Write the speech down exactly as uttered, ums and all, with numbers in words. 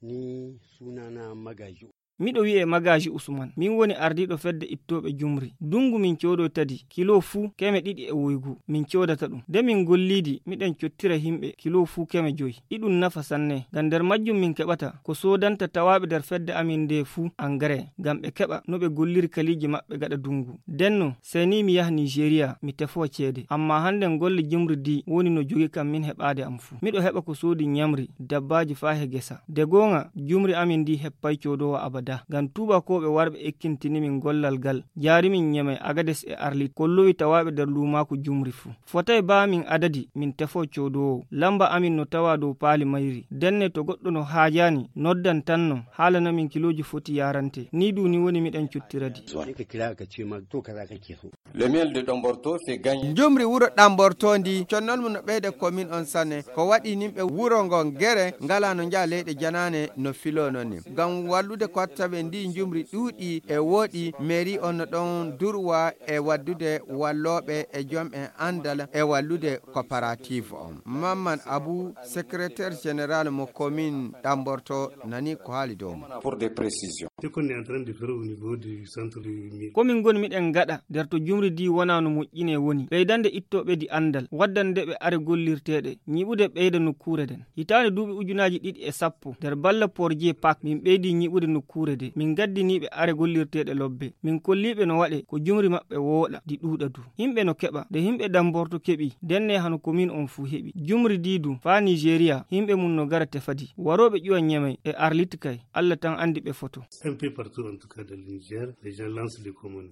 Ni sunana Magaji. Miɗo wi'ee Magaji Usman. Min woni ardiiɗo fedde ittooɓe jumri. Dungu min coodoyta ndi kilo fuu keme ɗiɗi e woygu. Min coodata ɗum. Nde min gollii ndi, miɗen cottira yimɓe kilo fuu keme jowi. Iɗum nafa sanne. Ngam nder majjum min keɓata ko soodanta tawaaɓe nder fedde amin ndee fuu angare. Ngam ɓe keɓa no ɓe golliri kaliiji maɓɓe gaɗa dungu. Ndenno, sey ni mi yaha Nigeria, mi tefoo ceede. Ammaa hannden golle jumri ndi woni no jogi kam min heɓaade am fuu. Miɗo heɓa ko soodi ñamri, dabbaaji faa he gesa. Nde goonga, jumri amin ndi heppay coodoowo abada. Ngam tuubakooɓe warɓe ekkintini min gollal ngal, jaari min Ñemey, Agades e Arlit, kollowi tawaaɓe nder luumaaku jumri fuu. Fotay baa min adadi, min tefoo coodoowo. Lamba amin no tawaa dow paali mayri. Ndenne to goɗɗo no haajaani, noddan tan no, haalana min kilooji foti yaarante. Nii du ni woni miɗen cottira ndi. Le miel de Domborto fait gagner. Njumri wuro Ɗamborto ndi, connol mum no ɓeyda commune on sanne. Ko waɗi nimɓe wuro ngon gere ngalaa no njaha leyɗe janaane no filoo non ni. Ngam wallude kottaɓe ndi njumri ɗuuɗi e wooɗi, mairie on no ɗon durwa e waddude wallooɓe e jom en anndal e wallude coopérative on. Mamman Abu, secrétaire général mo commune Ɗamborto, nani ko haali dow mum. Pour des précisions. Ce qu'on est en train de faire au niveau du centre du mil. Ko min ngoni miɗen ngaɗa nder to jumri ndi wonaa no moƴƴinee woni ɓeydande ittooɓe ndi anndal, waddande ɓe are gollirteeɗe, ñiɓude ɓeyda nokkuure nden. Hitaande duuɓi ujunaaji ɗiɗi e sappo, nder balla Porje Pak, min ɓeydi ñiɓude nokkuure nde. Min ngaddinii ɓe are gollirteeɗe lobbe. Min kollii ɓe no waɗe ko jumri maɓɓe wooɗa, ndi ɗuuɗa du. Yimɓe no keɓa. Nde yimɓe Ɗamborto keɓi, ndenne hano commune on fuu heɓi. Jumri ndi du, faa Nigeria, yimɓe mum no gara tefa ndi. Warooɓe ƴuwa Ñemey e Arlit kay, Alla tan anndi ɓe foto. Un peu partout, en tout cas, dans le Niger, les gens lancent des commandes.